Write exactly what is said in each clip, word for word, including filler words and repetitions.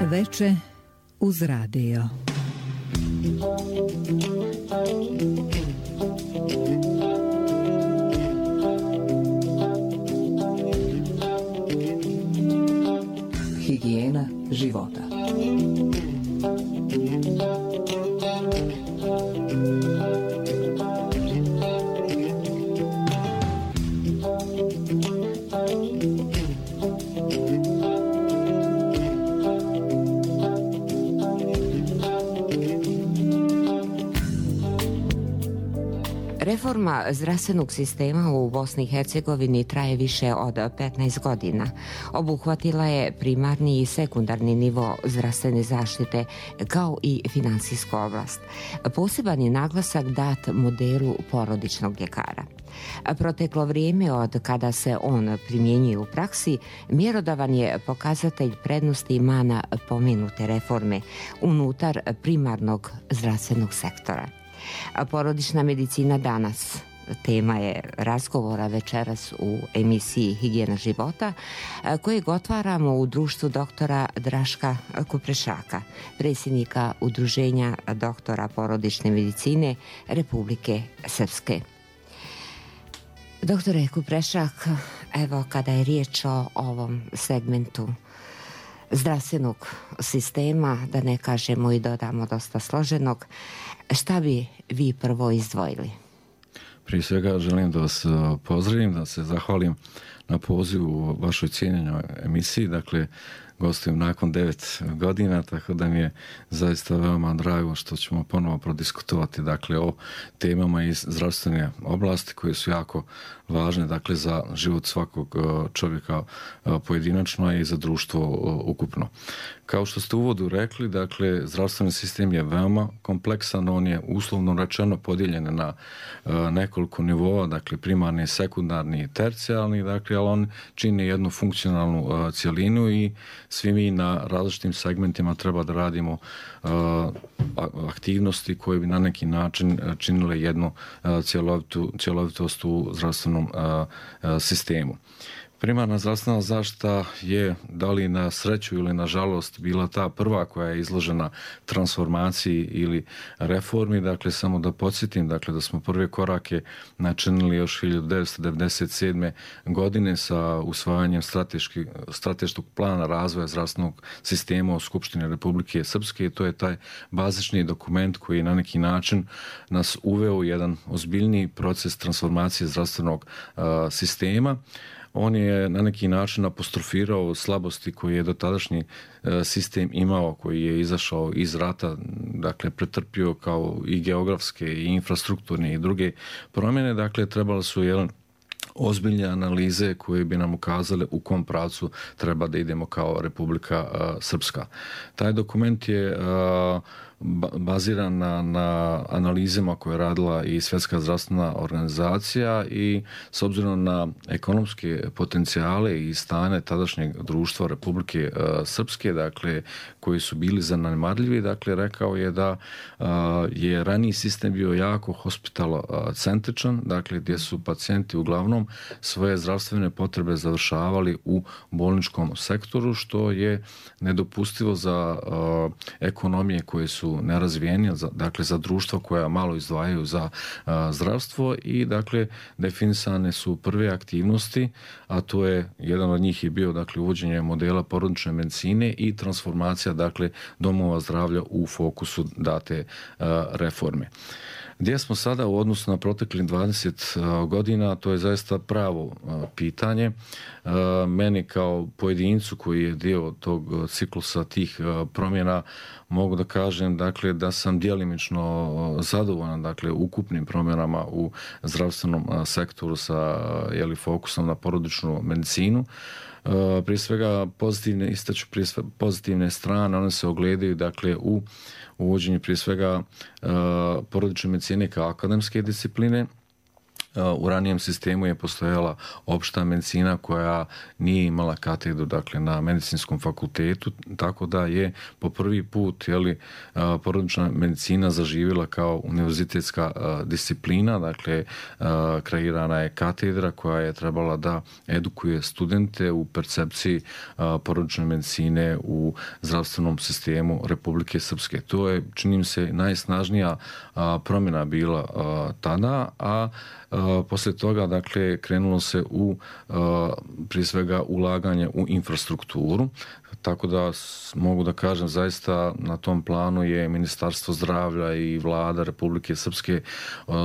Veče uz radio. Higijena života. Reforma zdravstvenog sistema u Bosni i Hercegovini traje više od petnaest godina. Obuhvatila je primarni i sekundarni nivo zdravstvene zaštite kao i finansijsku oblast. Poseban je naglasak dat modelu porodičnog ljekara. Proteklo vrijeme od kada se on primjenjuje u praksi, mjerodavan je pokazatelj prednosti i mana pomenute reforme unutar primarnog zdravstvenog sektora. Porodična medicina danas tema je razgovora večeras u emisiji Higijena života, kojeg otvaramo u društvu doktora Draška Kuprešaka, predsjednika Udruženja doktora porodične medicine Republike Srpske. Doktore Kuprešak, evo kada je riječ o ovom segmentu zdravstvenog sistema, da ne kažemo i dodamo dosta složenog, šta bi vi prvo izdvojili? Prije svega želim da vas pozdravim, da se zahvalim na pozivu u vašoj cijenjenoj emisiji. Dakle, gostujem nakon devet godina, tako da mi je zaista veoma drago što ćemo ponovo prodiskutovati dakle, o temama iz zdravstvene oblasti koje su jako važne dakle, za život svakog čovjeka pojedinačno i za društvo ukupno. Kao što ste u uvodu rekli, dakle, zdravstveni sistem je veoma kompleksan, on je uslovno rečeno podijeljen na nekoliko nivoa, dakle primarni, sekundarni i tercijalni, dakle, ali on čini jednu funkcionalnu cjelinu i svi mi na različitim segmentima treba da radimo aktivnosti koje bi na neki način činile jednu cjelovitu, cjelovitost u zdravstvenom sistemu. Primarna zdravstvena zaštita je, da li na sreću ili na žalost, bila ta prva koja je izložena transformaciji ili reformi. Dakle, samo da podsjetim dakle, da smo prve korake načinili još hiljadu devetsto devedeset sedme. godine sa usvajanjem strateškog plana razvoja zdravstvenog sistema u Skupštini Republike Srpske. I to je taj bazični dokument koji na neki način nas uveo u jedan ozbiljniji proces transformacije zdravstvenog uh, sistema. On je na neki način apostrofirao slabosti koje je dotadašnji sistem imao, koji je izašao iz rata, dakle pretrpio kao i geografske i infrastrukturne i druge promjene. Dakle, trebalo su jedan ozbiljne analize koje bi nam ukazale u kom pravcu treba da idemo kao Republika uh, Srpska. Taj dokument je uh, baziran na, na analizama koje je radila i Svjetska zdravstvena organizacija i s obzirom na ekonomske potencijale i stane tadašnjeg društva Republike uh, Srpske, dakle, koji su bili zanemarljivi, dakle, rekao je da uh, je raniji sistem bio jako hospitalocentričan, dakle, gdje su pacijenti uglavnom svoje zdravstvene potrebe završavali u bolničkom sektoru, što je nedopustivo za uh, ekonomije koje su nerazvijenije, dakle za društva koja malo izdvajaju za uh, zdravstvo i dakle definisane su prve aktivnosti, a to je, jedan od njih je bio dakle uvođenje modela porodične medicine i transformacija dakle domova zdravlja u fokusu date uh, reforme. Gdje smo sada u odnosu na proteklih dvadeset godina, to je zaista pravo pitanje. Meni kao pojedincu koji je dio tog ciklusa tih promjena mogu da kažem dakle, da sam djelimično zadovoljan dakle, ukupnim promjenama u zdravstvenom sektoru sa jeli, fokusom na porodičnu medicinu. Prije svega pozitivne, istaću prije svega pozitivne strane, one se ogledaju dakle u uvođenju prije svega porodične medicine kao akademske discipline, U ranijem sistemu je postojala opšta medicina koja nije imala katedru, dakle, na medicinskom fakultetu, tako da je po prvi put, jeli, porodična medicina zaživjela kao univerzitetska disciplina, dakle, kreirana je katedra koja je trebala da edukuje studente u percepciji porodične medicine u zdravstvenom sistemu Republike Srpske. To je, čini mi se, najsnažnija promjena bila tada, a poslije toga, dakle, krenulo se u, prije svega, ulaganje u infrastrukturu, tako da mogu da kažem zaista na tom planu je Ministarstvo zdravlja i vlada Republike Srpske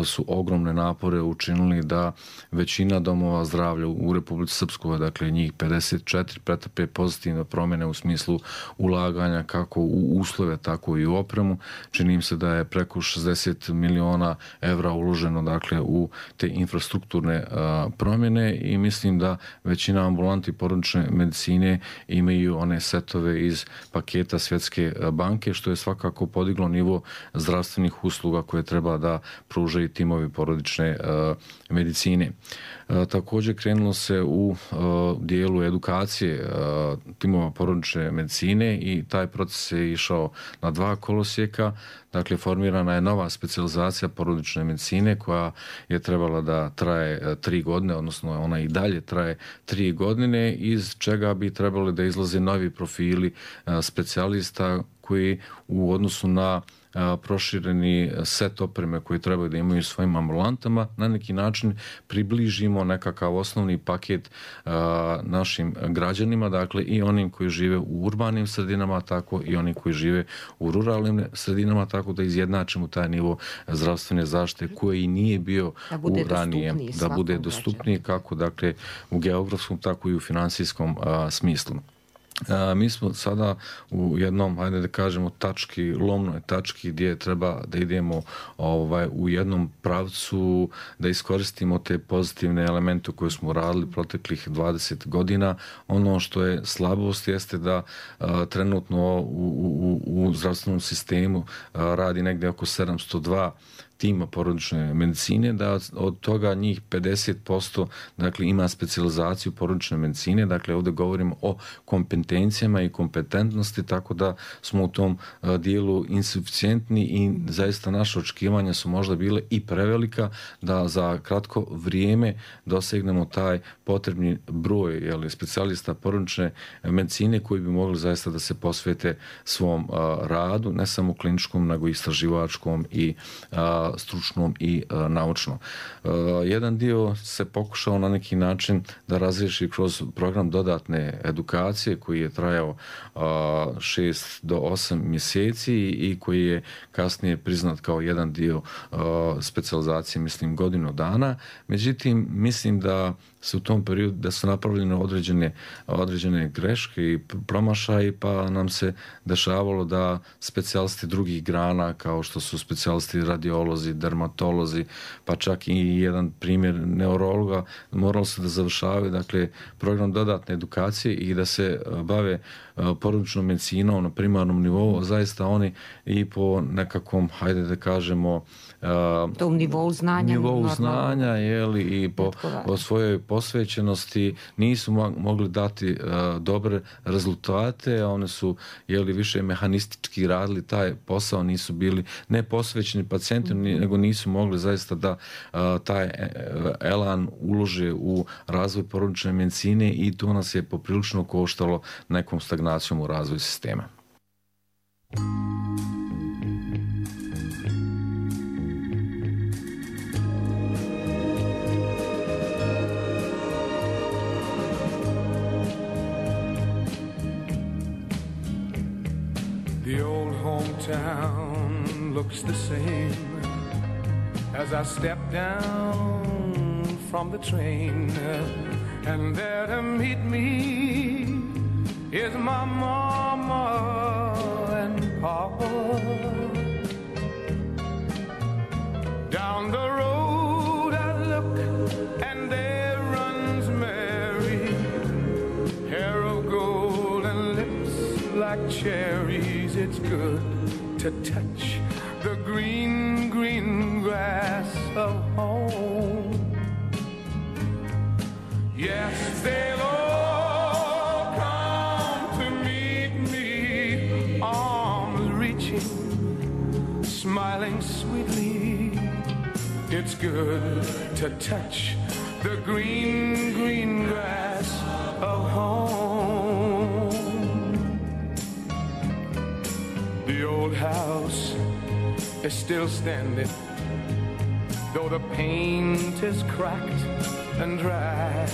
su ogromne napore učinili da većina domova zdravlja u Republici Srpskoj, dakle njih pedeset četiri, pretrpe pozitivne promjene u smislu ulaganja kako u uslove, tako i u opremu. Čini im se da je preko šezdeset miliona evra uloženo, dakle, u te infrastrukturne promjene i mislim da većina ambulanti porodične medicine imaju one setove iz paketa Svjetske banke, što je svakako podiglo nivo zdravstvenih usluga koje treba da pružaju timovi porodične medicine. Također krenulo se u dijelu edukacije timova porodične medicine i taj proces je išao na dva kolosijeka. Dakle, formirana je nova specijalizacija porodične medicine koja je trebala da traje tri godine, odnosno ona i dalje traje tri godine, iz čega bi trebali da izlaze novi profili specijalista koji u odnosu na prošireni set opreme koji trebaju da imaju svojim ambulantama, na neki način približimo nekakav osnovni paket a, našim građanima, dakle i onim koji žive u urbanim sredinama, tako i oni koji žive u ruralnim sredinama, tako da izjednačimo taj nivo zdravstvene zaštite koji nije bio u ranijem, da bude dostupniji kako, dakle, u geografskom, tako i u finansijskom a, smislu. A, mi smo sada u jednom, hajde da kažemo, tački, lomnoj tački gdje treba da idemo ovaj, u jednom pravcu, da iskoristimo te pozitivne elemente koje smo radili proteklih dvadeset godina. Ono što je slabost jeste da a, trenutno u, u, u zdravstvenom sistemu a, radi negdje oko sedamsto dva tima porodične medicine, da od toga njih pedeset posto, dakle, ima specijalizaciju porodične medicine, dakle ovdje govorimo o kompetencijama i kompetentnosti, tako da smo u tom dijelu insuficijentni i zaista naše očekivanja su možda bile i prevelika da za kratko vrijeme dosegnemo taj potrebni broj, jeli, specijalista porodične medicine koji bi mogli zaista da se posvete svom a, radu, ne samo kliničkom, nego i istraživačkom i a, stručnom i a, naučnom. A, jedan dio se pokušao na neki način da razriješi kroz program dodatne edukacije koji je trajao a, šest do osam mjeseci i koji je kasnije priznat kao jedan dio a, specijalizacije, mislim, godinu dana. Međutim, mislim da se u tom periodu da su napravljene određene, određene greške i promašaji, pa nam se dešavalo da specijalisti drugih grana, kao što su specijalisti radiolozi, dermatolozi, pa čak i jedan primjer neurologa, moralo se da završavaju, dakle, program dodatne edukacije i da se bave porodičnom medicinom na primarnom nivou, zaista oni i po nekakvom, hajde da kažemo, tom nivou znanja, nivou znanja, jeli, i po, po svojoj posvećenosti nisu mogli dati uh, dobre rezultate, a one su, jeli, više mehanistički radili taj posao, nisu bili ne posvećeni pacijentima, mm-hmm. nego nisu mogli zaista da uh, taj elan ulože u razvoj porodične medicine i to nas je poprilično koštalo nekom stagnacijom u razvoju sistema. The old hometown looks the same as I step down from the train, and there to meet me is my mama and papa. Down the road I look and there runs Mary, hair of gold and lips like cherries. It's good to touch the green, green grass of home. good to touch the green, green grass of home. The old house is still standing, though the paint is cracked and dry.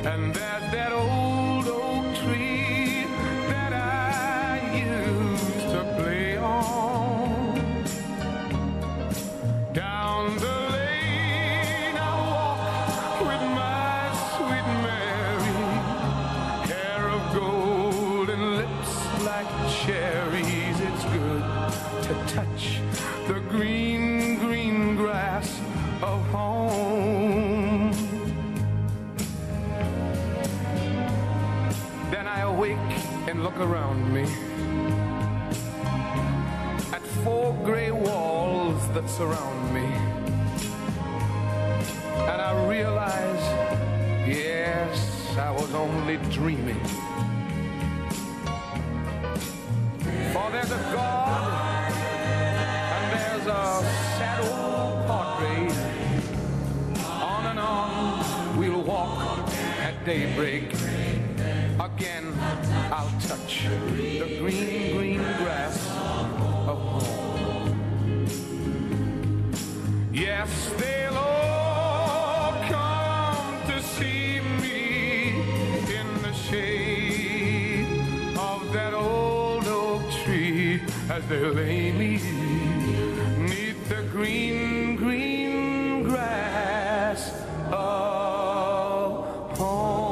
And there's that old oak tree that I used to play on. Down the lane I walk with my sweet Mary, hair of gold and lips like cherries. It's good to touch the green, green grass of home. Then I awake and look around me at four gray walls that surround me, and I realize, yes, I was only dreaming. For there's a God and there's a sad old portrait. On and on we'll walk at daybreak. Again I'll touch the green, green grass of home. Yes, they'll all come to see me in the shade of that old oak tree as they lay me neath the green, green grass of home.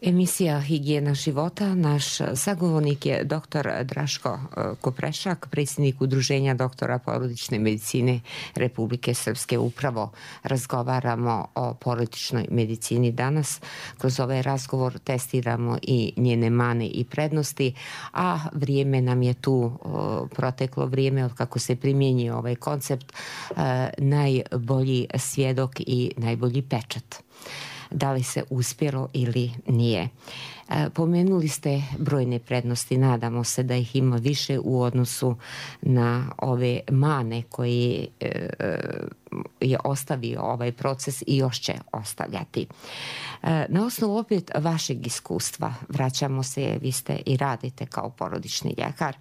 Emisija Higijena života. Naš sagovornik je doktor Draško Koprešak, predsjednik Udruženja doktora porodične medicine Republike Srpske. Upravo razgovaramo o porodičnoj medicini danas. Kroz ovaj razgovor testiramo i njene mane i prednosti, a vrijeme nam je tu, proteklo vrijeme od kako se primjenjuje ovaj koncept, najbolji svjedok i najbolji pečat. Da li se uspjelo ili nije. Pomenuli ste brojne prednosti, nadamo se da ih ima više u odnosu na ove mane koje je ostavio ovaj proces i još će ostavljati. Na osnovu opet vašeg iskustva, vraćamo se, vi ste i radite kao porodični ljekar,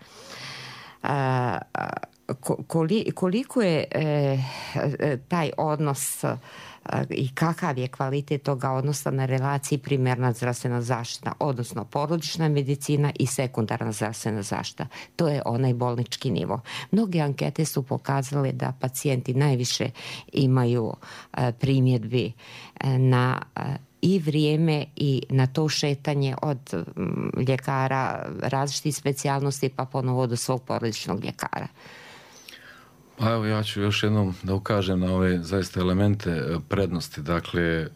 koliko je taj odnos i kakav je kvalitet toga odnosa na relaciji primarna zdravstvena zaštita, odnosno porodična medicina i sekundarna zdravstvena zaštita. To je onaj bolnički nivo. Mnoge ankete su pokazale da pacijenti najviše imaju primjedbi na i vrijeme i na to šetanje od ljekara različitih specijalnosti pa ponovo do svog porodičnog ljekara. Pa evo, ja ću još jednom da ukažem na ove zaista elemente prednosti. Dakle,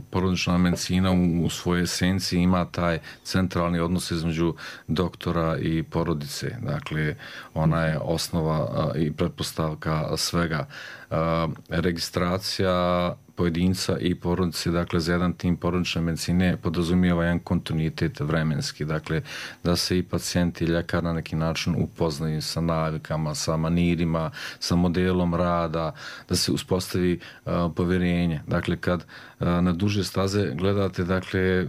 porodična medicina u svojoj esenciji ima taj centralni odnos između doktora i porodice. Dakle, ona je osnova i pretpostavka svega. Registracija pojedinca i porodice, dakle, za jedan tim porodične medicine podrazumijeva jedan kontinuitet vremenski, dakle, da se i pacijenti i ljekar na neki način upoznaju sa navikama, sa manirima, sa modelom rada, da se uspostavi uh, povjerenje. Dakle, kad uh, na duže staze gledate, dakle,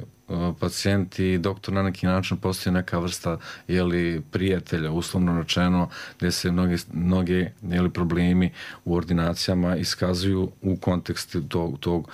pacijent i doktor na neki način postoji neka vrsta jeli, prijatelja, uslovno rečeno, gdje se mnoge, mnoge jeli, problemi u ordinacijama iskazuju u kontekstu tog, tog uh,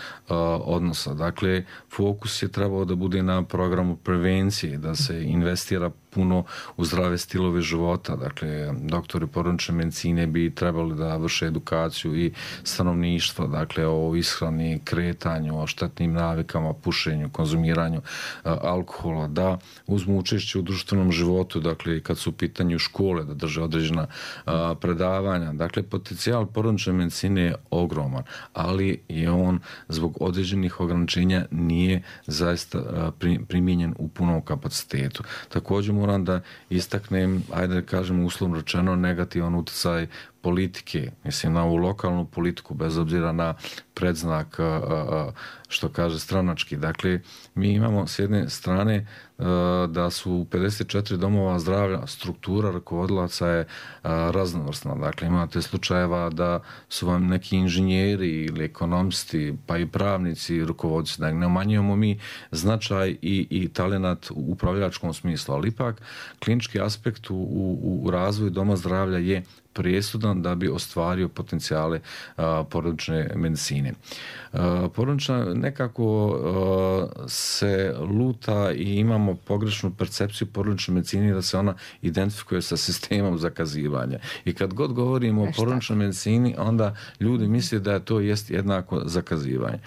odnosa. Dakle, fokus je trebao da bude na programu prevencije, da se investira puno u zdrave stilove života. Dakle, doktori porodične medicine bi trebali da vrše edukaciju i stanovništva, dakle, o ishrani, kretanju, o štetnim navikama, pušenju, konzumiranju a, alkohola, da uzmu učešće u društvenom životu, dakle, kad su u pitanju škole, da drže određena a, predavanja. Dakle, potencijal porodične medicine je ogroman, ali je on zbog određenih ograničenja nije zaista a, pri, primijenjen u punom kapacitetu. Također moram da istaknem, ajde da kažem uslovno rečeno, negativan utjecaj politike, mislim na ovu lokalnu politiku, bez obzira na predznak, što kaže, stranački. Dakle, mi imamo s jedne strane da su u pedeset četiri domova zdravlja struktura rukovodilaca je raznovrsna. Dakle, imate slučajeva da su vam neki inženjeri ili ekonomisti, pa i pravnici rukovodci. Dakle, ne umanjujemo mi značaj i, i talenat u upravljačkom smislu, ali ipak klinički aspekt u, u, u razvoju doma zdravlja je presudan da bi ostvario potencijale a, porodične medicine. A, porodična nekako a, se luta i imamo pogrešnu percepciju porodične medicine da se ona identifikuje sa sistemom zakazivanja. I kad god govorimo o porodičnoj medicini, onda ljudi misle da je to jest jednako zakazivanje.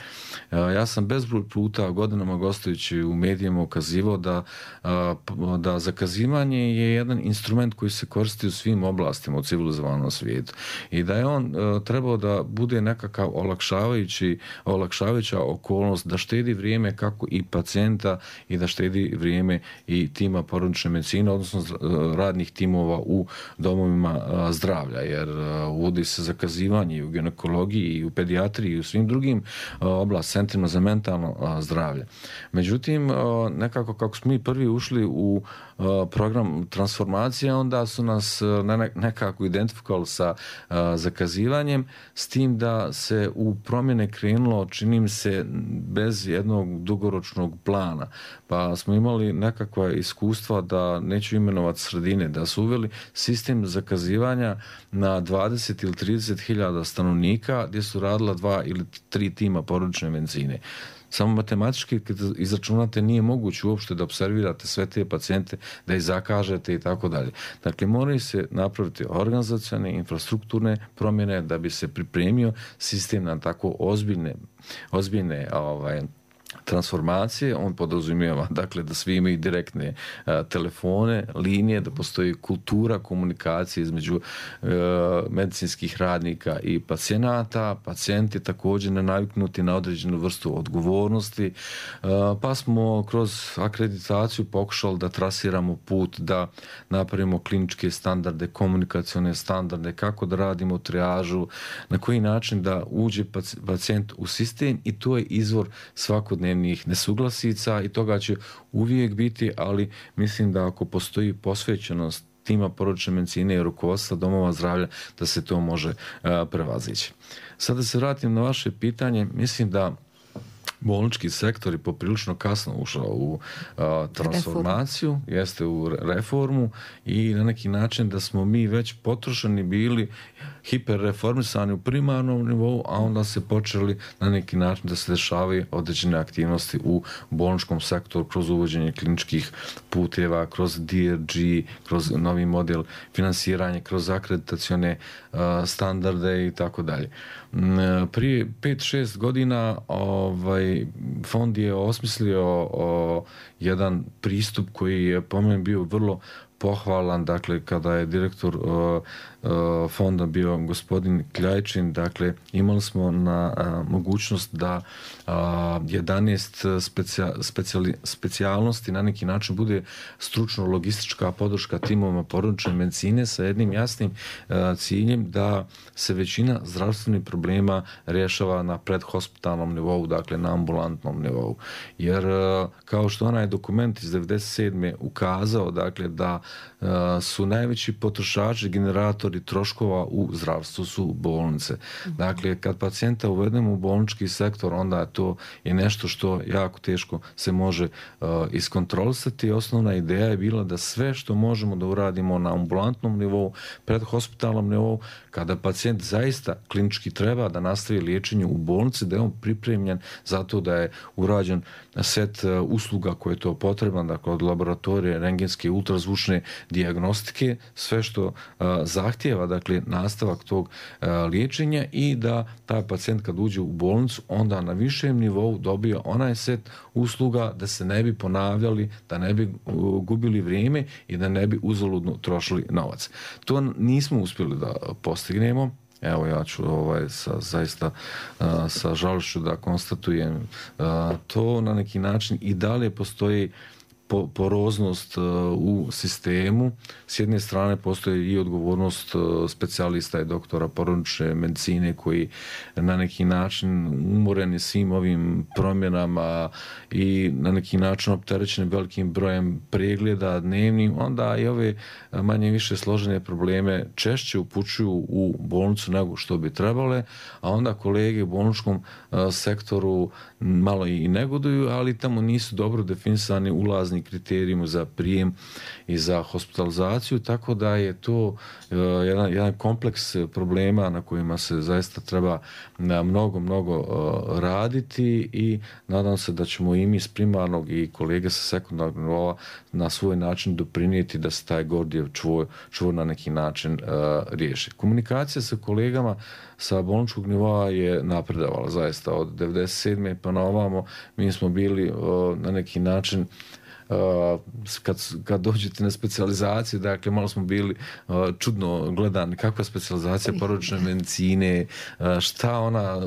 A, ja sam bezbroj puta godinama gostujući u medijima ukazivao da, a, da zakazivanje je jedan instrument koji se koristi u svim oblastima u civilizovanju svijetu i da je on uh, trebao da bude nekakav olakšavajući, olakšavajuća okolnost da štedi vrijeme kako i pacijenta i da štedi vrijeme i tima porodične medicine, odnosno uh, radnih timova u domovima uh, zdravlja, jer uh, uvodi se zakazivanje i u ginekologiji i u pedijatriji i u svim drugim uh, oblast, centrima za mentalno uh, zdravlje. Međutim, uh, nekako kako smo mi prvi ušli u uh, program transformacije, onda su nas uh, ne, nekako identifikovali sa uh, zakazivanjem, s tim da se u promjene krenulo, čini mi se, bez jednog dugoročnog plana. Pa smo imali nekakva iskustva, da neću imenovati sredine, da su uveli sistem zakazivanja na dvadeset ili trideset hiljada stanovnika gdje su radila dva ili tri tima porodične medicine. Samo matematički kad izračunate nije moguće uopšte da observirate sve te pacijente, da ih zakažete i tako dalje. Dakle, moraju se napraviti organizacione, infrastrukturne promjene da bi se pripremio sistem na tako ozbiljne, ozbiljne ovaj, transformacije. On podrazumijeva, dakle, da svi imaju direktne a, telefone, linije, da postoji kultura komunikacije između a, medicinskih radnika i pacijenata. Pacijenti također ne naviknuti na određenu vrstu odgovornosti, a, pa smo kroz akreditaciju pokušali da trasiramo put, da napravimo kliničke standarde, komunikacione standarde, kako da radimo trijažu, na koji način da uđe pacijent u sistem, i to je izvor svakodnevnih nesuglasica i toga će uvijek biti, ali mislim da ako postoji posvećenost tima porodične medicine i rukovodstva domova zdravlja, da se to može uh, prevazići. Sada da se vratim na vaše pitanje, mislim da bolnički sektor je poprilično kasno ušao u a, transformaciju, reformu. Jeste u reformu, i na neki način da smo mi već potrošeni bili, hiperreformisani u primarnom nivou, a onda se počeli na neki način da se dešavaju određene aktivnosti u bolničkom sektoru kroz uvođenje kliničkih puteva, kroz D R G, kroz novi model finansiranja, kroz akreditacione a, standarde i tako dalje. Prije pet šest godina ovaj, fond je osmislio o, jedan pristup koji je po meni bio vrlo pohvalan, dakle, kada je direktor uh, uh, fonda bio gospodin Kljajčin, dakle, imali smo na uh, mogućnost da uh, jedanaest specija, specijali, specijalnosti na neki način bude stručno-logistička podrška timovima porodične medicine sa jednim jasnim uh, ciljem da se većina zdravstvenih problema rješava na predhospitalnom nivou, dakle, na ambulantnom nivou. Jer, uh, kao što onaj dokument iz devedeset sedme ukazao, dakle, da Uh, su najveći potrošači, generatori troškova u zdravstvu su bolnice. Mm-hmm. Dakle, kad pacijenta uvedemo u bolnički sektor, onda to je nešto što jako teško se može uh, iskontrolisati. Osnovna ideja je bila da sve što možemo da uradimo na ambulantnom nivou, predhospitalnom nivou, kada pacijent zaista klinički treba da nastavi liječenje u bolnici, da je on pripremljen zato da je urađen set uh, usluga koje je to potreban, dakle, od laboratorije, rentgenske, ultrazvučne dijagnostike, sve što uh, zahtjeva, dakle, nastavak tog uh, liječenja, i da taj pacijent kad uđe u bolnicu onda na višem nivou dobije onaj set usluga da se ne bi ponavljali, da ne bi uh, gubili vrijeme i da ne bi uzaludno trošili novac. To nismo uspjeli da postignemo. Evo, ja ću ovaj, sa, zaista uh, sa žalošću da konstatujem uh, to na neki način i dalje postoji poroznost u sistemu. S jedne strane postoji i odgovornost specijalista i doktora porodične medicine koji na neki način umoreni svim ovim promjenama i na neki način opterećeni velikim brojem pregleda dnevnim, onda i ove manje više složene probleme češće upućuju u bolnicu nego što bi trebale, a onda kolege u bolničkom sektoru malo i negoduju, ali tamo nisu dobro definisani ulazni kriterijumi za prijem i za hospitalizaciju, tako da je to jedan, jedan kompleks problema na kojima se zaista treba mnogo, mnogo raditi i nadam se da ćemo i mi s primarnog i kolege sa sekundarnog nivoa na svoj način doprinijeti da se taj Gordijev čvor, čvor na neki način riješi. Komunikacija sa kolegama sa bolničkog nivoa je napredovala zaista od devedeset sedme pa na ovamo. Mi smo bili na neki način kad, kad dođete na specijalizaciju, dakle malo smo bili čudno gledani, kakva specijalizacija porodične medicine, šta ona,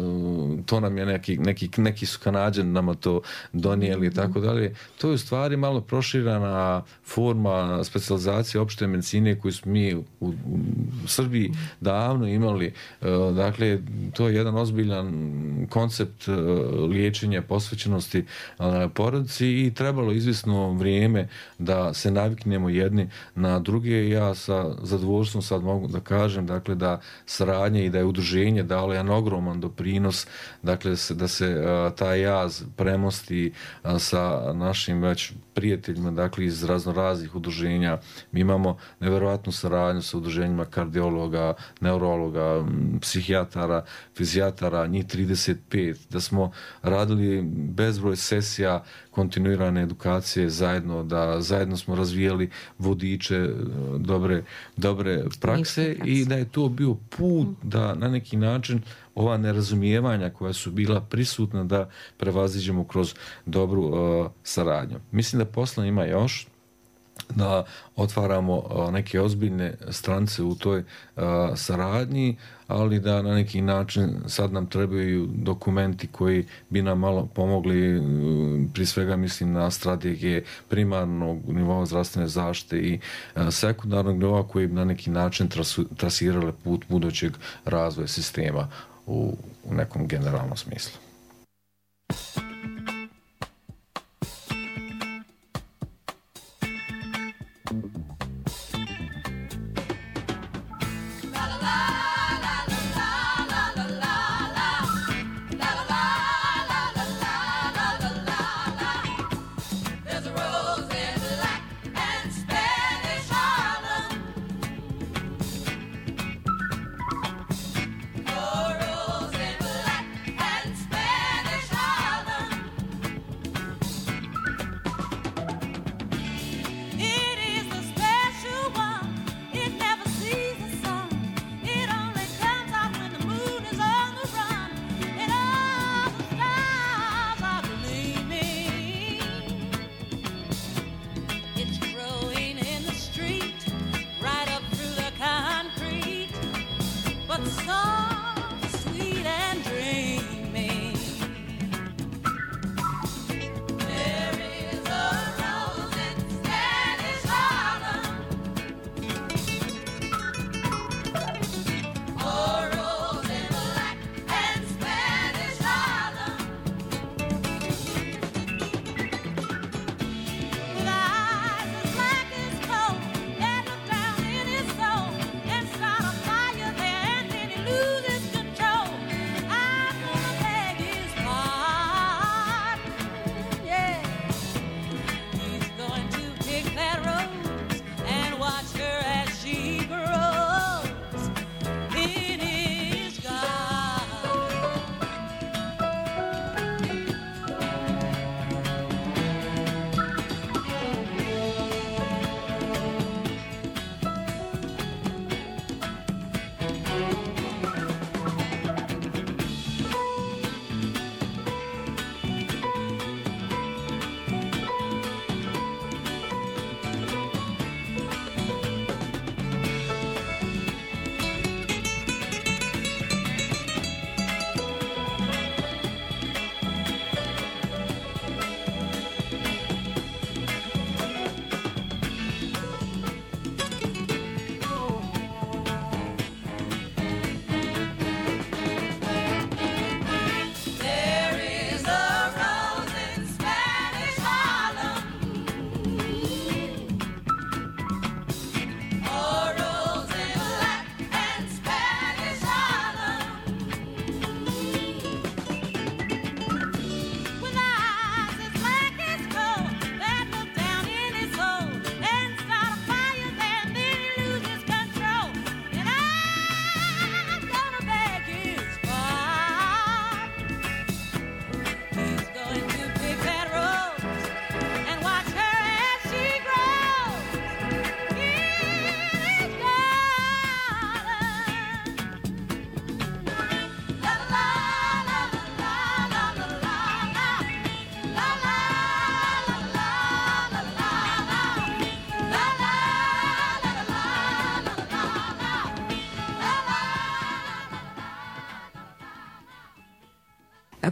to nam je neki, neki, neki su Kanađani nama to donijeli i tako dalje. To je u stvari malo proširana forma specijalizacije opšte medicine koju smo mi u, u Srbiji davno imali. Dakle, to je jedan ozbiljan koncept liječenja posvećenosti porodici i trebalo izvisno vrijeme da se naviknemo jedni na druge. Ja sa zadovoljstvom sad mogu da kažem dakle da saradnje i da je udruženje dalo jedan ogroman doprinos, dakle da se taj jaz premosti sa našim već prijateljima, dakle iz raznoraznih udruženja. Mi imamo nevjerovatnu saradnju sa udruženjima kardiologa, neurologa, psihijatara, fizijatara, njih trideset pet, da smo radili bezbroj sesija kontinuirane edukacije zajedno, da zajedno smo razvijali vodiče dobre, dobre prakse i da je to bio put da na neki način ova nerazumijevanja koja su bila prisutna da prevaziđemo kroz dobru uh, saradnju. Mislim da posla ima još, da otvaramo uh, neke ozbiljne strance u toj uh, saradnji, ali da na neki način sad nam trebaju dokumenti koji bi nam malo pomogli, prije svega mislim na strategije primarnog nivoa zdravstvene zaštite i sekundarnog nivoa koji bi na neki način trasirale put budućeg razvoja sistema u, u nekom generalnom smislu. It is the spell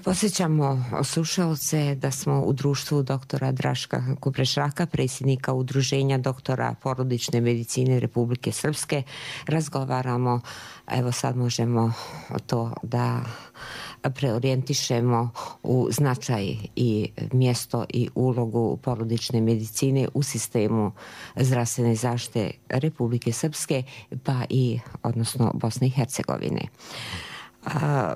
Posjećamo slušalce da smo u društvu doktora Draška Kuprešaka, predsjednika Udruženja doktora porodične medicine Republike Srpske. Razgovaramo, evo sad možemo to da preorijentišemo u značaj i mjesto i ulogu porodične medicine u sistemu zdravstvene zaštite Republike Srpske, pa i odnosno Bosne i Hercegovine. A,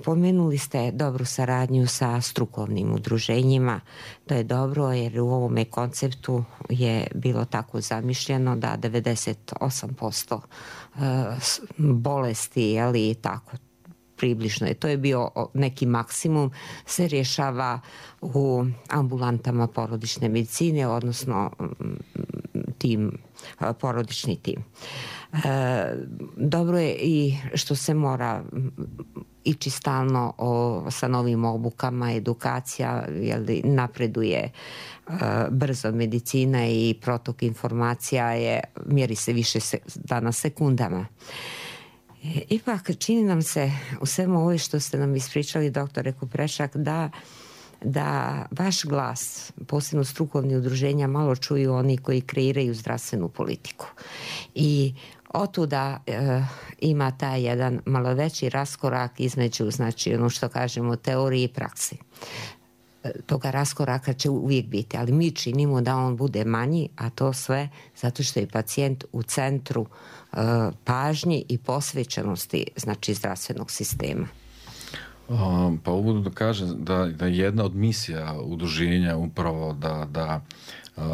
pomenuli ste dobru saradnju sa strukovnim udruženjima. To je dobro jer u ovome konceptu je bilo tako zamišljeno da devedeset osam posto bolesti, ali tako približno je. To je bio neki maksimum, se rješava u ambulantama porodične medicine, odnosno tim, porodični tim. E, dobro je i što se mora ići stalno o, sa novim obukama, edukacija, jel, napreduje e, brzo medicina i protok informacija je, mjeri se više se, danas sekundama. Ipak čini nam se u svemu ovo što ste nam ispričali, doktore Kuprešak, da, da vaš glas, posebno strukovni udruženja, malo čuju oni koji kreiraju zdravstvenu politiku. I otuda e, ima taj jedan malo veći raskorak između, znači ono što kažemo, teorije i praksi. E, toga raskoraka će uvijek biti, ali mi činimo da on bude manji, a to sve zato što je pacijent u centru pažnji i posvećenosti, znači, zdravstvenog sistema. Um, pa uvodu da kažem da, da je jedna od misija udruženja upravo da, da uh,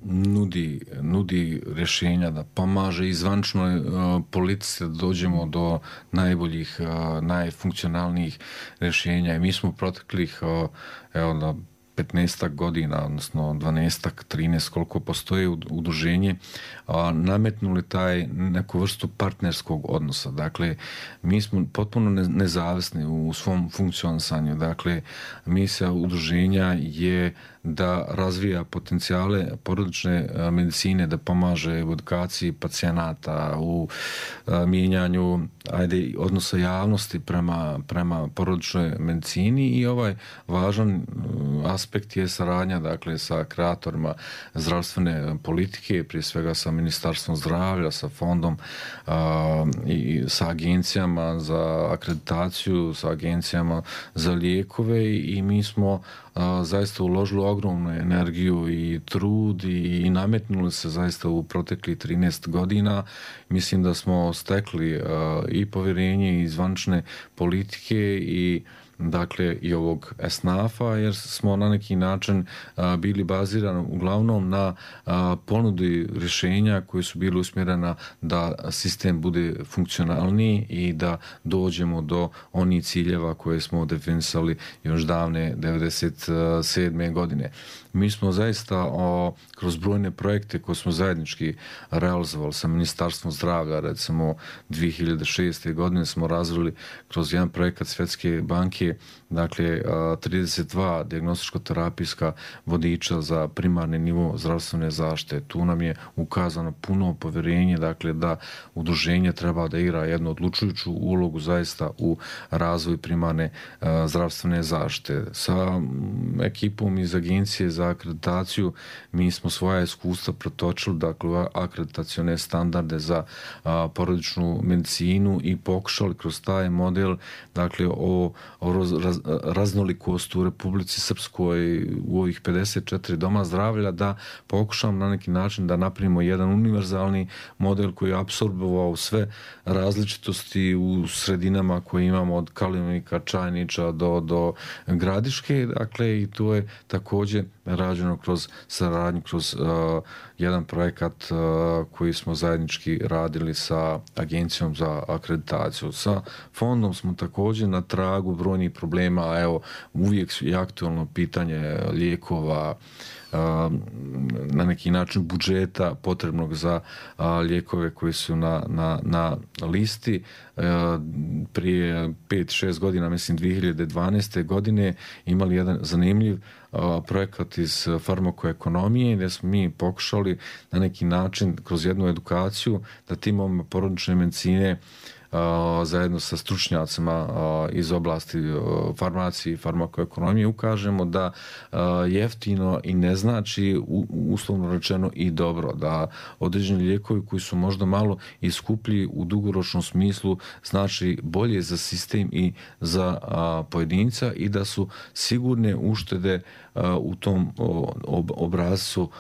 nudi, nudi rješenja, da pomaže i zvančnoj uh, politici da dođemo do najboljih, uh, najfunkcionalnijih rješenja. I mi smo proteklih uh, evo na petnaestak godina, odnosno dvanaestak, trinaest, koliko postoje udruženje, a, nametnuli taj neku vrstu partnerskog odnosa. Dakle, mi smo potpuno ne, nezavisni u svom funkcionisanju. Dakle, misija udruženja je da razvija potencijale porodične medicine, da pomaže u edukaciji pacijenata, u a, mijenjanju ajde, odnosa javnosti prema, prema porodičnoj medicini i ovaj važan aspekt je saradnja, dakle, sa kreatorima zdravstvene politike, prije svega sa Ministarstvom zdravlja, sa fondom a, i sa agencijama za akreditaciju, sa agencijama za lijekove i mi smo a, zaista uložili ogromnu energiju i trud i, i nametnuli se zaista u proteklih trinaest godina. Mislim da smo stekli a, i povjerenje i zvančne politike i dakle i ovog esnafa, jer smo na neki način a, bili bazirani uglavnom na a, ponudi rješenja koje su bile usmjerena da sistem bude funkcionalniji i da dođemo do onih ciljeva koje smo definisali još davne devedeset sedme godine. Mi smo zaista o, kroz brojne projekte koje smo zajednički realizovali sa Ministarstvom zdravlja, recimo dvije hiljade šeste. godine smo razvili kroz jedan projekat Svjetske banke, dakle trideset dva dijagnostičko-terapijska vodiča za primarni nivo zdravstvene zaštite. Tu nam je ukazano puno povjerenje, dakle da udruženje treba da igra jednu odlučujuću ulogu zaista u razvoju primarne a, zdravstvene zaštite. Sa ekipom iz Agencije za akreditaciju mi smo svoja iskustva protočili, dakle akreditacione standarde za a, porodičnu medicinu i pokušali kroz taj model, dakle o, o raz, raznolikost u Republici Srpskoj u ovih pedeset četiri doma zdravlja, da pokušam na neki način da napravimo jedan univerzalni model koji je apsorbovao sve različitosti u sredinama koje imamo od Kalinovika, Čajniča do, do Gradiške, dakle i to je također rađeno kroz saradnju, kroz uh, jedan projekat uh, koji smo zajednički radili sa Agencijom za akreditaciju. Sa fondom smo također na tragu brojnih problema, a evo uvijek je aktualno pitanje lijekova, na neki način budžeta potrebnog za lijekove koji su na, na, na listi. Prije pet šest godina, mislim dvije hiljade dvanaeste. godine, imali jedan zanimljiv projekat iz farmakoekonomije gdje smo mi pokušali na neki način kroz jednu edukaciju da timom porodične medicine zajedno sa stručnjacima iz oblasti farmacije i farmakoekonomije ukažemo da jeftino i ne znači uslovno rečeno i dobro, da određeni lijekovi koji su možda malo i skuplji u dugoročnom smislu znači bolje za sistem i za pojedinca i da su sigurne uštede u tom obrazcu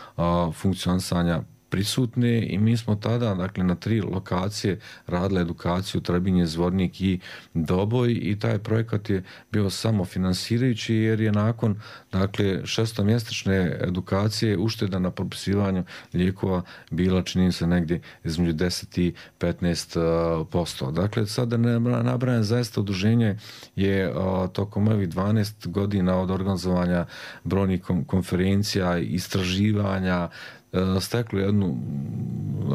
funkcionisanja prisutne i mi smo tada, dakle, na tri lokacije radili edukaciju Trebinje, Zvornik i Doboj i taj projekat je bio samo finansirajući jer je nakon, dakle, šestomjesečne edukacije ušteda na propisivanju lijekova bila, čini se, negdje između deset i petnaest posto. Dakle, sada nabrajam, zaista udruženje je tokom ovih dvanaest godina od organizovanja brojnih konferencija, istraživanja, stekli jednu,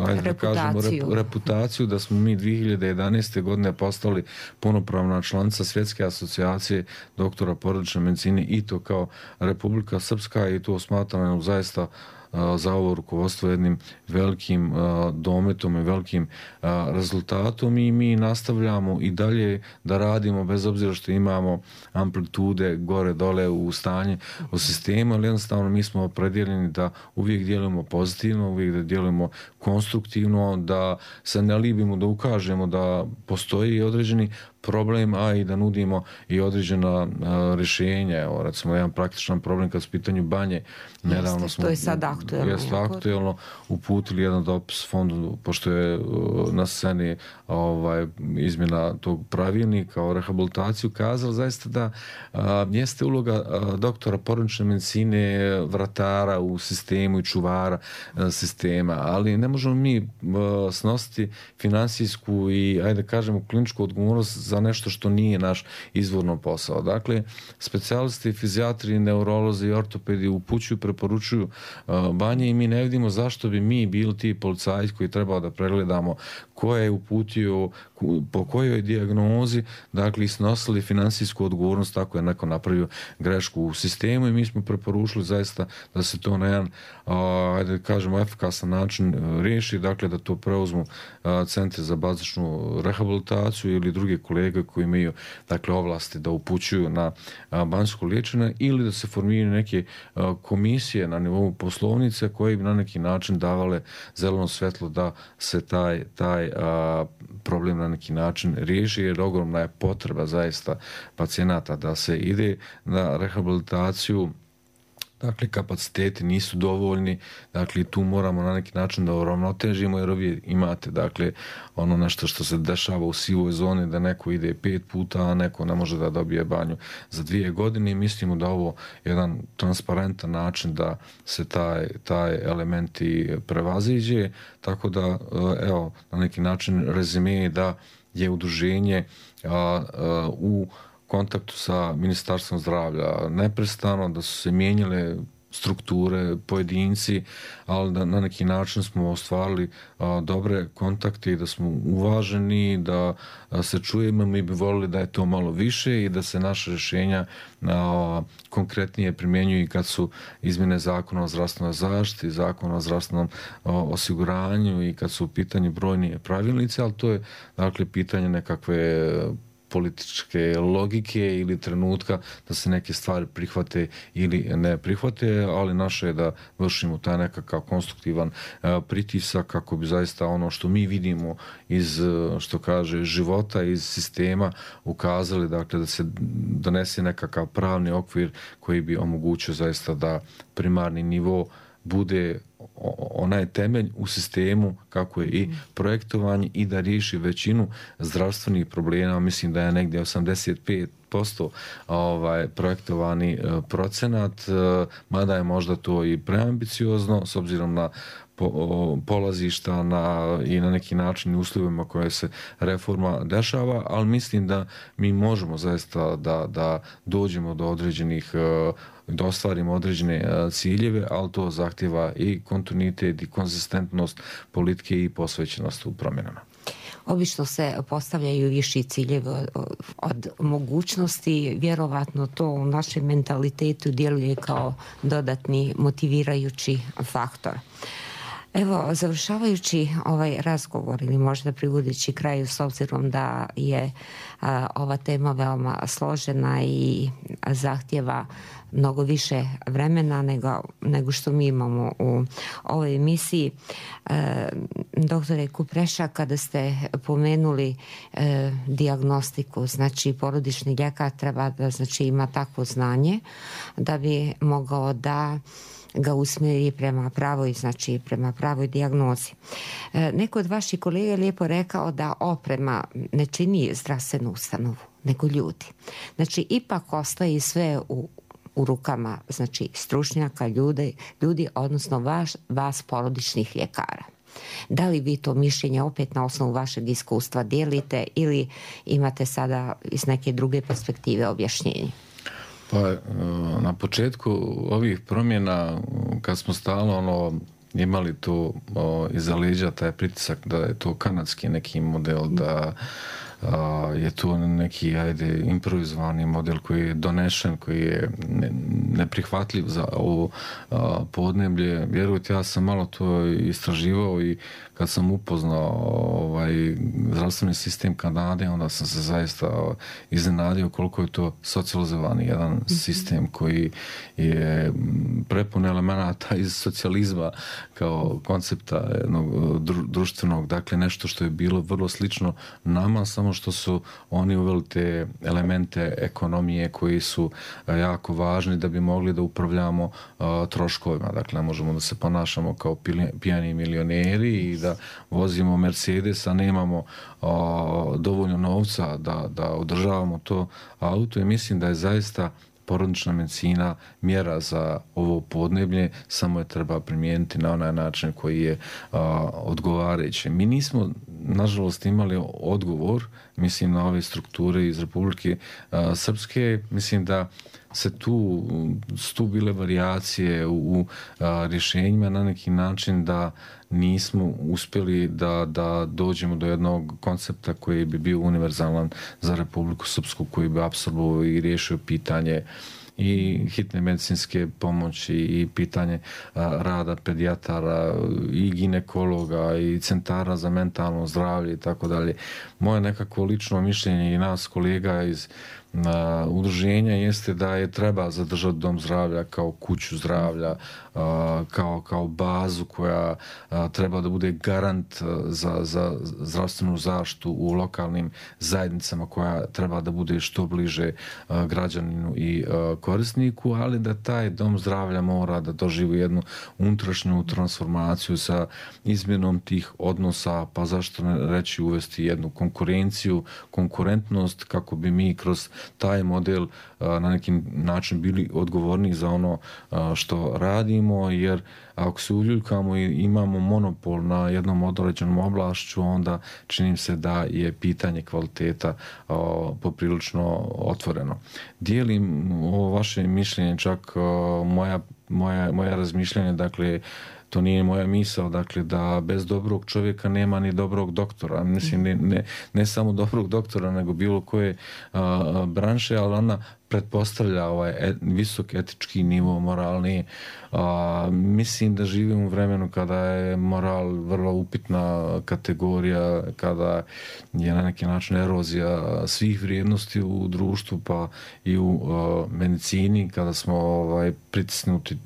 ajde da kažemo, reputaciju da smo mi dvije hiljade jedanaeste. godine postali punopravna članica Svjetske asocijacije doktora porodične medicine i to kao Republika Srpska i to smatramo zaista za ovo rukovodstvo jednim velikim dometom i velikim rezultatom i mi nastavljamo i dalje da radimo bez obzira što imamo amplitude gore dole u stanje u sistemu, ali jednostavno mi smo opredjeljeni da uvijek djelujemo pozitivno, uvijek da djelujemo konstruktivno, da se ne libimo, da ukažemo da postoji određeni problem, a i da nudimo i određena rješenja. Evo, recimo, jedan praktičan problem kad su pitanju banje. Nedavno Jeste, smo, to je sad aktuelno. Jeste aktuelno, uputili jedan dopis fondu, pošto je na sceni ovaj, izmjena tog pravilnika o rehabilitaciju, kazali zaista da a, jeste uloga a, doktora porodične medicine, vratara u sistemu i čuvara a, sistema, ali ne možemo mi a, snositi finansijsku i, ajde kažemo, kliničku odgovornost za nešto što nije naš izvorno posao. Dakle, specijalisti, fizijatri, neurolozi i ortopedi upućuju, preporučuju banje i mi ne vidimo zašto bi mi bili ti policajci koji trebao da pregledamo ko je uputio, po kojoj dijagnozi, dakle, snosili finansijsku odgovornost tako je neko napravio grešku u sistemu i mi smo preporučili zaista da se to na jedan, ajde kažemo, efikasan način riješi, dakle, da to preuzmu centri za bazičnu rehabilitaciju ili druge kolege koji imaju, dakle, ovlasti da upućuju na banjsko liječenje ili da se formiraju neke komisije na nivou poslovnice koje bi na neki način davale zeleno svjetlo da se taj, taj a, problem na neki način riješi, jer ogromna je potreba zaista pacijenata da se ide na rehabilitaciju. Dakle, kapaciteti nisu dovoljni, dakle, tu moramo na neki način da uravnotežimo, jer ovdje imate, dakle, ono nešto što se dešava u sivoj zoni, da neko ide pet puta, a neko ne može da dobije banju za dvije godine i mislimo da ovo je jedan transparentan način da se taj, taj elementi prevaziđe, tako da, evo, na neki način rezime da je udruženje a, a, u kontaktu sa Ministarstvom zdravlja neprestano, da su se mijenjale strukture, pojedinci, ali da na neki način smo ostvarili a, dobre kontakte i da smo uvaženi, da a, se čujemo, mi bi volili da je to malo više i da se naše rješenja a, konkretnije primjenjuju kad su izmjene zakona o zdravstvenoj zaštiti, zakona o zdravstvenom a, osiguranju i kad su u pitanju brojni pravilnici, ali to je, dakle, pitanje nekakve političke logike ili trenutka da se neke stvari prihvate ili ne prihvate, ali naše je da vršimo taj nekakav konstruktivan pritisak kako bi zaista ono što mi vidimo iz, što kaže, života, iz sistema ukazali, dakle, da se donese nekakav pravni okvir koji bi omogućio zaista da primarni nivo bude onaj temelj u sistemu kako je i projektovanje i da riješi većinu zdravstvenih problema. Mislim da je negdje osamdeset pet posto ovaj, projektovani procenat, mada je možda to i preambiciozno s obzirom na po, polazišta na, i na neki način uslovima koje se reforma dešava, ali mislim da mi možemo zaista da, da dođemo do određenih, da ostvarimo određene ciljeve, ali to zahtjeva i kontinuitet i konzistentnost politike i posvećenost u promjenama. Obično se postavljaju viši ciljevi od, od mogućnosti, vjerovatno to u našem mentalitetu djeluje kao dodatni motivirajući faktor. Evo, završavajući ovaj razgovor ili možda privodeći kraju s obzirom da je a, ova tema veoma složena i zahtjeva mnogo više vremena nego, nego što mi imamo u ovoj emisiji. E, doktore Kupreša, kada ste pomenuli e, dijagnostiku, znači porodični ljekar treba da znači, ima takvo znanje da bi mogao da ga usmjeri prema pravoj, znači prema pravoj dijagnozi. E, neko od vaših kolega je lijepo rekao da oprema ne čini zdravstvenu ustanovu, nego ljudi. Znači, ipak ostaje sve u u rukama, znači, stručnjaka, ljudi, ljudi odnosno vaš, vas porodičnih ljekara. Da li vi to mišljenje opet na osnovu vašeg iskustva dijelite ili imate sada iz neke druge perspektive objašnjenje? Pa, na početku ovih promjena, kad smo stalno ono, imali to o, iza leđa taj pritisak da je to kanadski neki model, da a, je to neki, ajde, improvizovani model koji je donešen, koji je ne, neprihvatljiv za ovo a, podneblje. Vjerujte, ja sam malo to istraživao i kad sam upoznao ovaj zdravstveni sistem Kanade, onda sam se zaista iznenadio koliko je to socijalizovani jedan mm-hmm. sistem koji je prepun elemenata iz socijalizma kao koncepta jednog društvenog, dakle nešto što je bilo vrlo slično nama, samo što su oni uveli te elemente ekonomije koji su jako važni da bi mogli da upravljamo uh, troškovima. Dakle, ne možemo da se ponašamo kao pijani milioneri i da vozimo Mercedes, a nemamo o, dovoljno novca da, da održavamo to auto i mislim da je zaista porodična medicina mjera za ovo podneblje, samo je treba primijeniti na onaj način koji je a, odgovarajući. Mi nismo, nažalost, imali odgovor, mislim, na ove strukture iz Republike a, Srpske. Mislim da se tu, tu bile varijacije u, u a, rješenjima na neki način da nismo uspjeli da, da dođemo do jednog koncepta koji bi bio univerzalan za Republiku Srpsku, koji bi apsolvovao i riješio pitanje i hitne medicinske pomoći i pitanje a, rada pedijatara i ginekologa i centara za mentalno zdravlje i tako dalje. Moje nekako lično mišljenje i nas kolega iz a, udruženja jeste da je treba zadržati dom zdravlja kao kuću zdravlja, a, kao, kao bazu koja a, treba da bude garant za, za zdravstvenu zaštitu u lokalnim zajednicama, koja treba da bude što bliže a, građaninu i a, korisniku, ali da taj dom zdravlja mora da doživi jednu unutrašnju transformaciju sa izmjenom tih odnosa, pa zašto ne reći uvesti jednu konkurenciju, konkurentnost, kako bi mi kroz taj model a, na neki način bili odgovorni za ono a, što radimo, jer ako se uljuljkamo i imamo monopol na jednom određenom oblašću, onda čini se da je pitanje kvaliteta a, poprilično otvoreno. Dijelim ovo vaše mišljenje, čak a, moja, moja, moja razmišljanje, dakle, to nije moja misao, dakle, da bez dobrog čovjeka nema ni dobrog doktora. Mislim, ne, ne, ne samo dobrog doktora, nego bilo koje a, branše, ali ona pretpostavlja ovaj et, visok etički nivo moralni. A, mislim da živimo u vremenu kada je moral vrlo upitna kategorija, kada je na neki način erozija svih vrijednosti u društvu, pa i u a, medicini, kada smo ovaj pritisnuti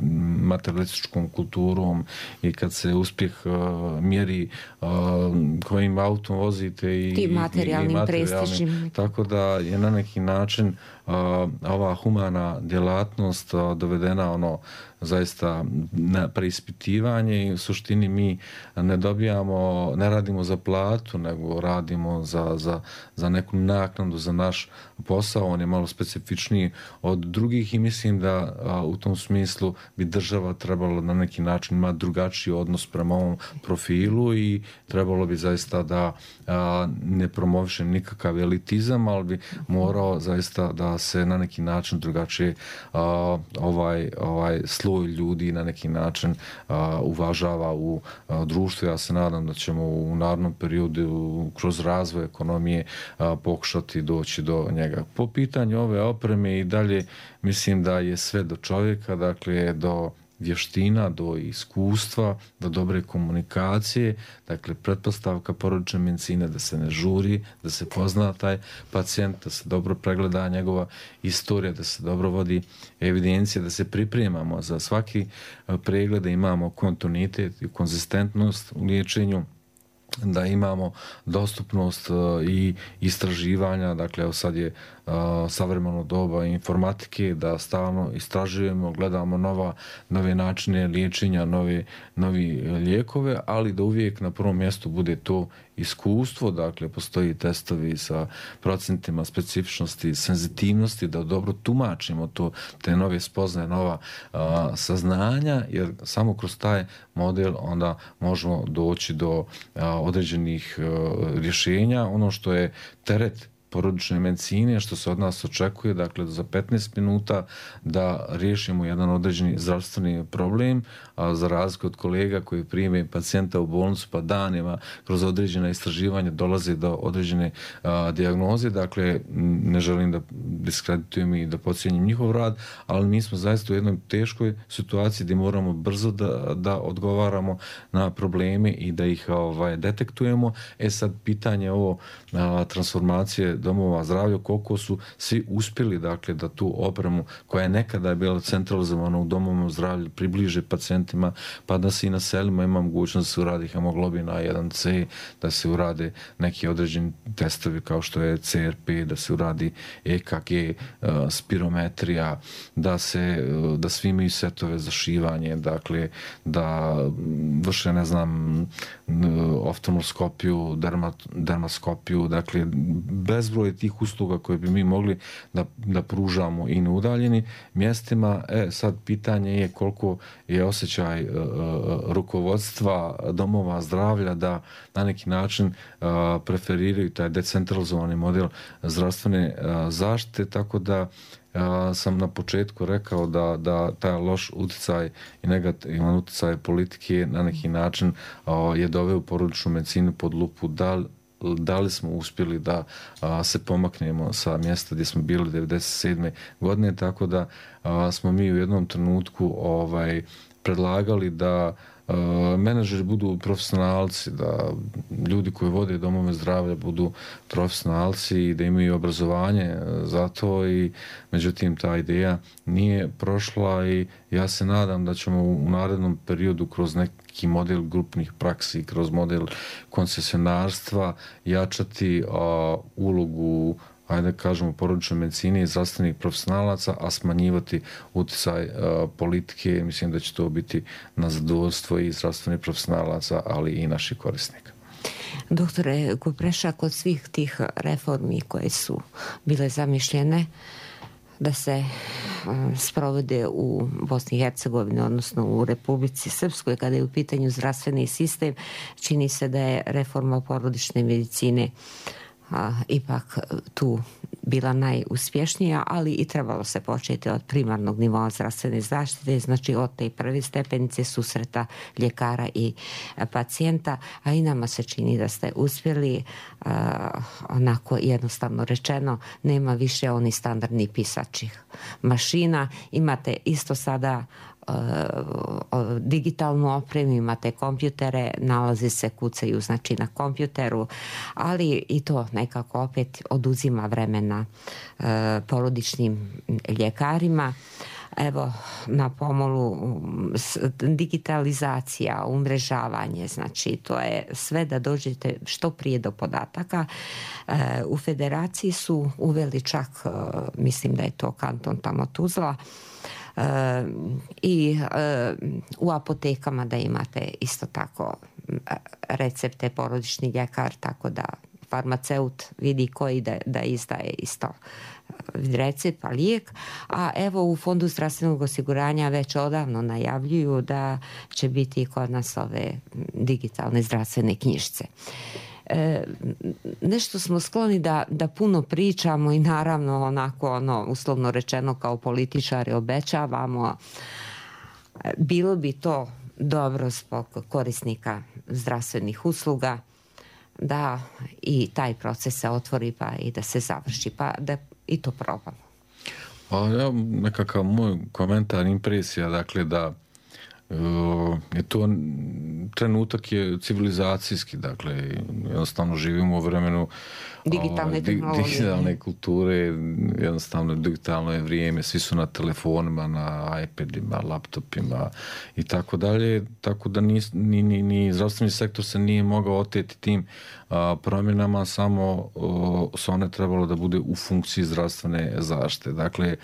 materialističkom kulturom i kad se uspjeh a, mjeri a, kojim autom vozite i, i materijalnim, i materijalnim prestižnim. Tako da je na neki način a, ova humana djelatnost a, dovedena ono zaista na preispitivanje i u suštini mi ne dobijamo, ne radimo za platu, nego radimo za, za, za neku naknadu za naš posao. On je malo specifičniji od drugih i mislim da a, u tom smislu bi država trebalo na neki način imati drugačiji odnos prema ovom profilu i trebalo bi zaista da a, ne promoviše nikakav elitizam, ali bi morao zaista da se na neki način drugačije a, ovaj, ovaj sloj ljudi na neki način a, uvažava u a, društvu. Ja se nadam da ćemo u narednom periodu kroz razvoj ekonomije a, pokušati doći do njega. Po pitanju ove opreme i dalje mislim da je sve do čovjeka, dakle do vještina, do iskustva, do dobre komunikacije. Dakle, pretpostavka porodične medicine da se ne žuri, da se pozna taj pacijent, da se dobro pregleda njegova istorija, da se dobro vodi evidencija, da se pripremamo za svaki pregled, da imamo kontinuitet i konzistentnost u liječenju, da imamo dostupnost i istraživanja, dakle evo sad je savremeno doba informatike, da stalno istražujemo, gledamo nova, nove načine liječenja, nove, novi lijekove, ali da uvijek na prvom mjestu bude to iskustvo, dakle postoji testovi sa procentima specifičnosti, senzitivnosti, da dobro tumačimo to, te nove spoznaje, nova a, saznanja, jer samo kroz taj model onda možemo doći do a, određenih a, rješenja. Ono što je teret porodične medicine, što se od nas očekuje, dakle za petnaest minuta da riješimo jedan određeni zdravstveni problem, a za razliku od kolega koji prime pacijenta u bolnicu pa danima kroz određena istraživanja dolaze do određene a, dijagnoze, dakle ne želim da diskreditujem i da podcijenim njihov rad, ali mi smo zaista u jednoj teškoj situaciji gdje moramo brzo da, da odgovaramo na probleme i da ih ovaj, detektujemo. E sad pitanje ovo a, transformacije domova zdravlja, koliko su svi uspjeli, dakle, da tu opremu koja je nekada bila centralizovana u domovima zdravlja približe pacijentima, pa da se i na selima ima mogućnost da se uradi hemoglobin A jedan C, da se urade neki određeni testovi kao što je C R P, da se uradi E K G, spirometrija, da se, da svi imaju setove za šivanje, dakle, da vrše, ne znam, oftalmoskopiju, dermat, dermaskopiju, dakle, bez bezbroj tih usluga koje bi mi mogli da, da pružamo i na udaljenim mjestima. E, sad pitanje je koliko je osjećaj uh, rukovodstva domova zdravlja da na neki način uh, preferiraju taj decentralizovani model zdravstvene uh, zaštite, tako da ja sam na početku rekao da, da taj loš utjecaj i negativan utjecaj politike na neki način uh, je doveo porodičnu medicinu pod lupu. Da, da li smo uspjeli da a, se pomaknemo sa mjesta gdje smo bili devedeset sedme godine, tako da a, smo mi u jednom trenutku ovaj, predlagali da Uh, menadžeri budu profesionalci, da ljudi koji vode domove zdravlja budu profesionalci i da imaju obrazovanje za to, i međutim ta ideja nije prošla i ja se nadam da ćemo u narednom periodu kroz neki model grupnih praksi, kroz model koncesionarstva jačati uh, ulogu, ajde kažemo, porodične medicine i zdravstvenih profesionalaca, a smanjivati utjecaj uh, politike. Mislim da će to biti na zadovoljstvo i zdravstvenih profesionalaca, ali i naših korisnika. Doktore Kupreša, kod svih tih reformi koje su bile zamišljene da se uh, sprovode u Bosni i Hercegovini, odnosno u Republici Srpskoj, kada je u pitanju zdravstveni sistem, čini se da je reforma porodične medicine a, ipak tu bila najuspješnija, ali i trebalo se početi od primarnog nivoa zdravstvene zaštite, znači od te prve stepenice susreta ljekara i pacijenta, a i nama se čini da ste uspjeli, a, onako jednostavno rečeno, nema više oni standardni pisačih mašina, imate isto sada digitalnu opremu, imate kompjutere, nalazi se, kucaju znači na kompjuteru, ali i to nekako opet oduzima vremena e, porodičnim ljekarima. Evo, na pomolu digitalizacija, umrežavanje, znači to je sve da dođete što prije do podataka. E, u federaciji su uveli čak, e, mislim da je to kanton tamo Tuzla, Uh, i uh, u apotekama da imate isto tako recepte, porodični ljekar, tako da farmaceut vidi koji da, da izdaje isto recept, pa lijek. A evo u Fondu zdravstvenog osiguranja već odavno najavljuju da će biti kod nas ove digitalne zdravstvene knjižice. E, nešto smo skloni da, da puno pričamo i naravno onako ono uslovno rečeno kao političari obećavamo. Bilo bi to dobro zbog korisnika zdravstvenih usluga da i taj proces se otvori pa i da se završi, pa da i to probamo. Pa ja, nekakav moj komentar, impresija, dakle da je to trenutak je civilizacijski, dakle jednostavno živimo u vremenu digitalne tehnologije, digitalne kulture, jednostavno digitalno je vrijeme, svi su na telefonima, na iPadima, laptopima i tako dalje, tako da ni, ni, ni, ni zdravstveni sektor se nije mogao oteti tim a, promjenama, samo o, su one trebalo da bude u funkciji zdravstvene zaštite. Dakle,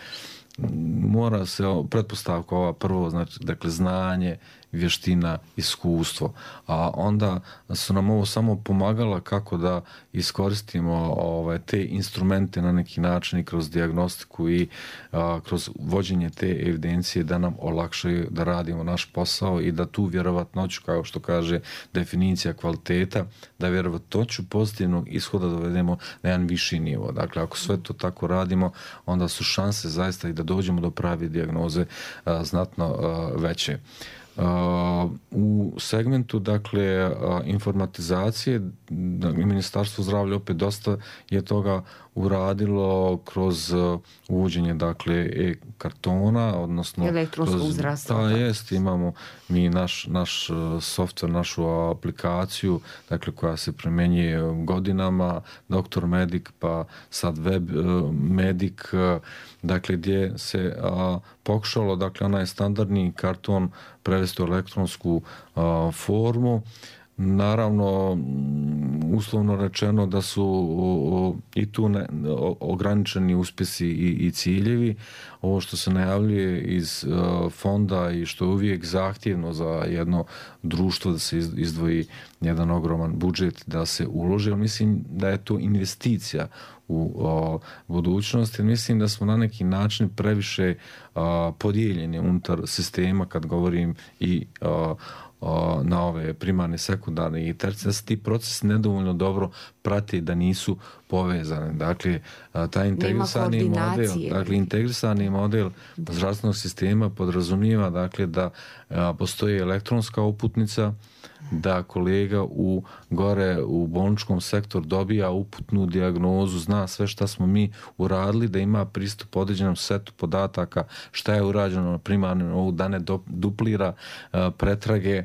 mora se pretpostavka ova prvo, znači, dakle, znanje, vještina, iskustvo, a onda su nam ovo samo pomagala kako da iskoristimo ovaj, te instrumente na neki način i kroz dijagnostiku i a, kroz vođenje te evidencije da nam olakšaju da radimo naš posao i da tu vjerovatnoću, kao što kaže definicija kvaliteta, da vjerovatnoću pozitivnog ishoda dovedemo na jedan viši nivo. Dakle, ako sve to tako radimo, onda su šanse zaista i da dođemo do prave dijagnoze a, znatno a, veće. Uh, u segmentu, dakle, uh, informatizacije, Ministarstvo zdravlja opet dosta je toga uradilo kroz uh, uvođenje, dakle, e-kartona, odnosno elektronskog zdravstva. Da, jest, imamo mi naš, naš uh, softver, našu aplikaciju, dakle, koja se primjenjuje godinama, Doktor Medic, pa sad Web uh, Medic, uh, dakle, gdje se uh, pokušalo, dakle, onaj standardni karton prevesti u elektronsku a, formu. Naravno, uslovno rečeno da su o, i tu ne, o, ograničeni uspjesi i, i ciljevi. Ovo što se najavljuje iz a, fonda i što je uvijek zahtjevno za jedno društvo da se izdvoji jedan ogroman budžet da se uloži, mislim da je to investicija u o, budućnosti. Mislim da smo na neki način previše a, podijeljeni unutar sistema kad govorim i a, a, na ove primarne, sekundarne i tercijarne, da se ti procesi nedovoljno dobro prati, da nisu povezane. Dakle, a, taj integrisani model, dakle, integrisani model zdravstvenog sistema podrazumijeva, dakle, da a, postoji elektronska uputnica, da kolega u gore u bolničkom sektoru dobija uputnu dijagnozu, zna sve šta smo mi uradili, da ima pristup određenom setu podataka, šta je urađeno na primarnom nivou, da ne duplira uh, pretrage,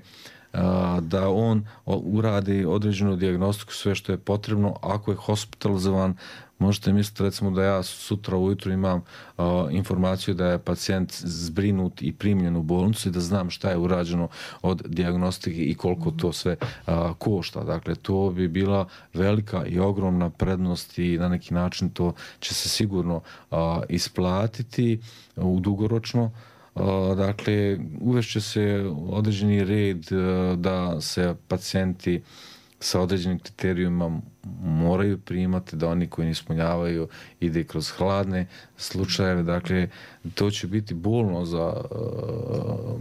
uh, da on uradi određenu dijagnostiku, sve što je potrebno. Ako je hospitalizovan, možete misliti, recimo, da ja sutra ujutru imam uh, informaciju da je pacijent zbrinut i primljen u bolnicu i da znam šta je urađeno od dijagnostike i koliko to sve uh, košta. Dakle, to bi bila velika i ogromna prednost i na neki način to će se sigurno uh, isplatiti u dugoročno. Uh, dakle, uvešće se određeni red uh, da se pacijenti sa određenim kriterijima moraju primati, da oni koji ne ispunjavaju ide kroz hladne slučajeve. Dakle, to će biti bolno za uh,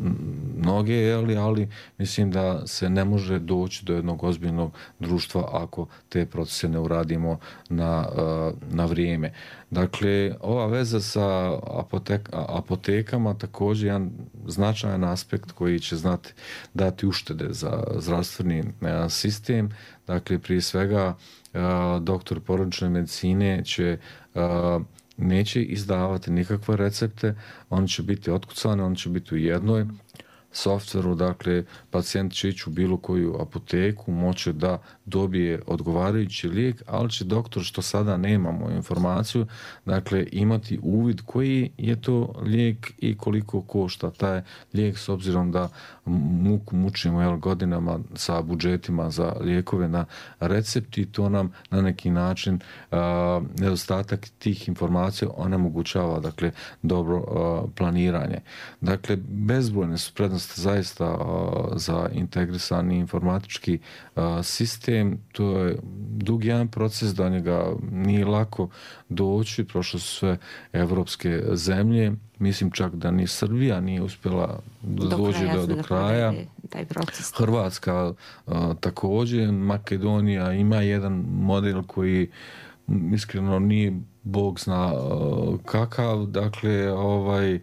mnoge, ali, ali mislim da se ne može doći do jednog ozbiljnog društva ako te procese ne uradimo na, uh, na vrijeme. Dakle, ova veza sa apotek, apotekama također jedan značajan aspekt koji će znati dati uštede za zdravstveni uh, sistem. Dakle, prije svega, uh, doktor porodične medicine će uh, neće izdavati nikakve recepte, oni će biti otkucani, oni će biti u jednoj softveru, dakle, pacijent će ići u bilo koju apoteku, moće da dobije odgovarajući lijek, ali će doktor, što sada nemamo informaciju, dakle, imati uvid koji je to lijek i koliko košta taj lijek, s obzirom da muku mučimo jel, godinama sa budžetima za lijekove na recept i to nam na neki način a, nedostatak tih informacija onemogućava, dakle, dobro a, planiranje. Dakle, bezbrojne su prednosti zaista a, za integrisani informatički a, sistem. To je dug jedan proces, da njega nije lako doći, prošle su sve evropske zemlje, mislim čak da ni Srbija nije uspjela da dođe do, do kraja. Taj proces. Hrvatska a, također, Makedonija ima jedan model koji iskreno nije Bog zna uh, kakav, dakle, ovaj, uh,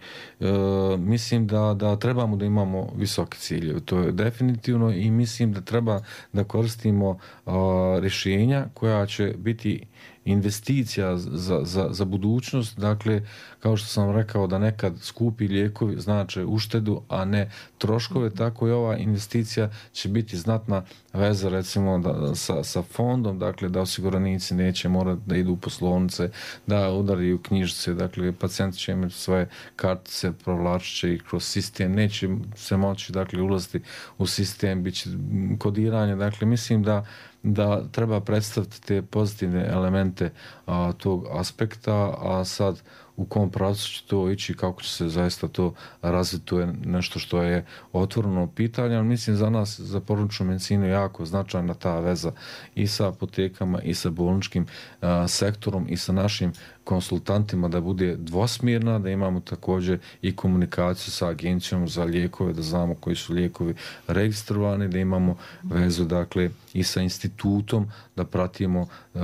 mislim da, da trebamo da imamo visoke ciljeve, to je definitivno, i mislim da treba da koristimo uh, rješenja koja će biti investicija za, za, za budućnost, dakle, kao što sam rekao da nekad skupi lijekovi znače uštedu, a ne troškove, tako i ova investicija će biti znatna veza recimo da, sa, sa fondom, dakle da osiguranici neće morati da idu u poslovnice, da udaraju knjižice, dakle pacijenti će imati svoje kartice, provlačit će ih kroz sistem, neće se moći dakle ulaziti u sistem, bit će kodiranje, dakle mislim da da treba predstaviti te pozitivne elemente a, tog aspekta, a sad u kom pravcu će to ići, kako će se zaista to razviti, to je nešto što je otvoreno pitanje, ali mislim za nas, za porodičnu medicinu, jako značajna ta veza i sa apotekama i sa bolničkim a, sektorom i sa našim konsultantima, da bude dvosmjerna, da imamo također i komunikaciju sa agencijom za lijekove, da znamo koji su lijekovi registrovani, da imamo vezu dakle i sa institutom, da pratimo uh,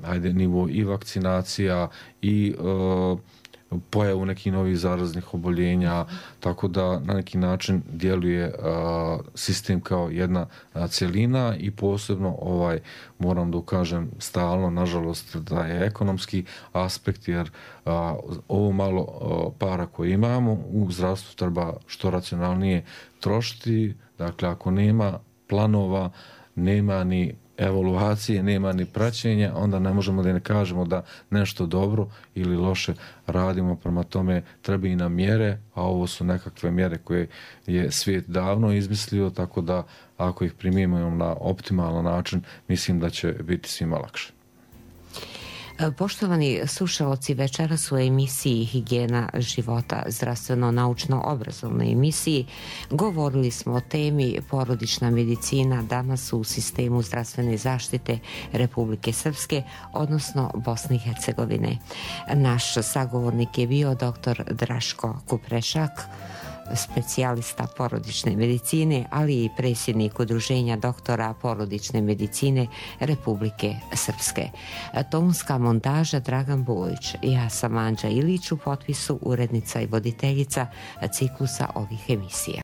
ajde, nivo i vakcinacija i uh, pojavu nekih novih zaraznih oboljenja, tako da na neki način djeluje a, sistem kao jedna a, cjelina i posebno ovaj, moram da ukažem stalno, nažalost, da je ekonomski aspekt, jer a, ovo malo a, para koje imamo u zdravstvu treba što racionalnije trošiti, dakle ako nema planova, nema ni evaluacije, nema ni praćenja, onda ne možemo da ne kažemo da nešto dobro ili loše radimo, prema tome treba i na mjere, a ovo su nekakve mjere koje je svijet davno izmislio, tako da ako ih primijemo na optimalan način, mislim da će biti svima lakše. Poštovani slušalci, večeras u emisiji Higijena života, zdravstveno-naučno-obrazovnoj emisiji, govorili smo o temi porodična medicina danas u sistemu zdravstvene zaštite Republike Srpske, odnosno Bosne i Hercegovine. Naš sagovornik je bio doktor Draško Kuprešak, specijalista porodične medicine, ali i predsjednik Udruženja doktora porodične medicine Republike Srpske. Tonska montaža Dragan Bojić. Ja sam Anđa Ilić, u potpisu urednica i voditeljica ciklusa ovih emisija.